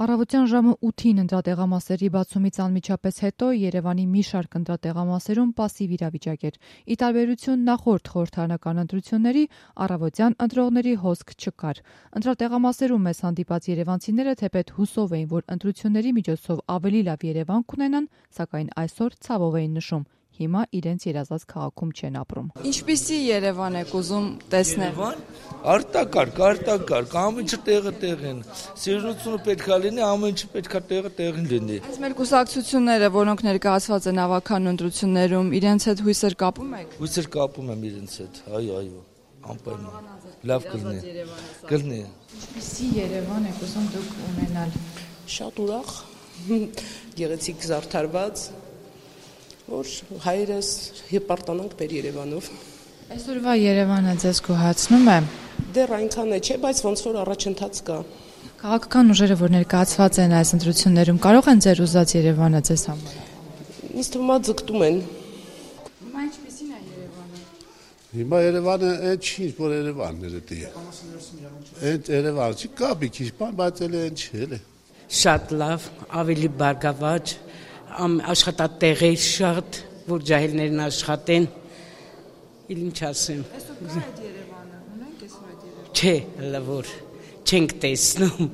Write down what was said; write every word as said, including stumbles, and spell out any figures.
Առավոտյան ժամը ութին ընտրատեղամասերի բացումից անմիջապես հետո Երևանի մի շարք ընտրատեղամասերում պասիվ իրավիճակ էր։ Ի տարբերություն նախորդ խորհրդարանական ընտրությունների, առավոտյան ընտրողների հոսք չկար։ Ընտրատեղամասերում մեզ հանդիպած երևանցիները թեպետ հուսով էին, որ ընտրությունների միջոցով ավելի լավ Երևան կունենան, սակայն այսօր ցավով էին նշում. հիմա իրենց երազած քաղաքում չեն ապրում։ Ինչպիսի Երևան եք ուզում տեսնել։ Արտակարգ, արտակարգ, ամեն ինչը տեղը տեղին։ Սիրունությունը պետք է լինի, ամեն ինչը պետք է տեղը տեղին լինի։ Այս մեր կուսակցությունները, որոնք ներկայացված են ավական ընտրություններում, իրենց հետ հույսեր կապում եք։ Հույսեր կապում եմ իրենց հետ, այո, այո, անպայման։ Լավ կլինի։ Կլինի։ Ինչպիսի Երևան եք ուզում դուք ունենալ։ Շատ ուրախ, գեղեցիկ զարդարված, որ հայրս հպարտանանք մեր Երևանով։ Այսօրվա Երևանը ձեզ գոհացնում է։ Դեռ այնքան է չէ, բայց ոնց որ առաջընթաց կա։ Քաղաքական ուժերը, որ ներկայացված են այս ընտրություններում, կարող են ձեր ուզած Երևանը ձեզ համար։ Ինձ թվում է ձգտում են։ Հիմա ինչպիսին է Երևանը։ Հիմա Երևանը այն չի, որ Երևանն է դե։ Այդ Երևանը չի կա մի քիչ, բայց էլ այն չի էլի։ Շատ լավ, ավելի բարգավաճ, աշխատատեղեր շատ, որ ջահելներն աշխատեն։ Իլ ինչ ասեմ։ Այսօր կա այդ Երևանը, ունենք այսօր այդ Երևանը։ Չէ, լավ որ չենք տեսնում։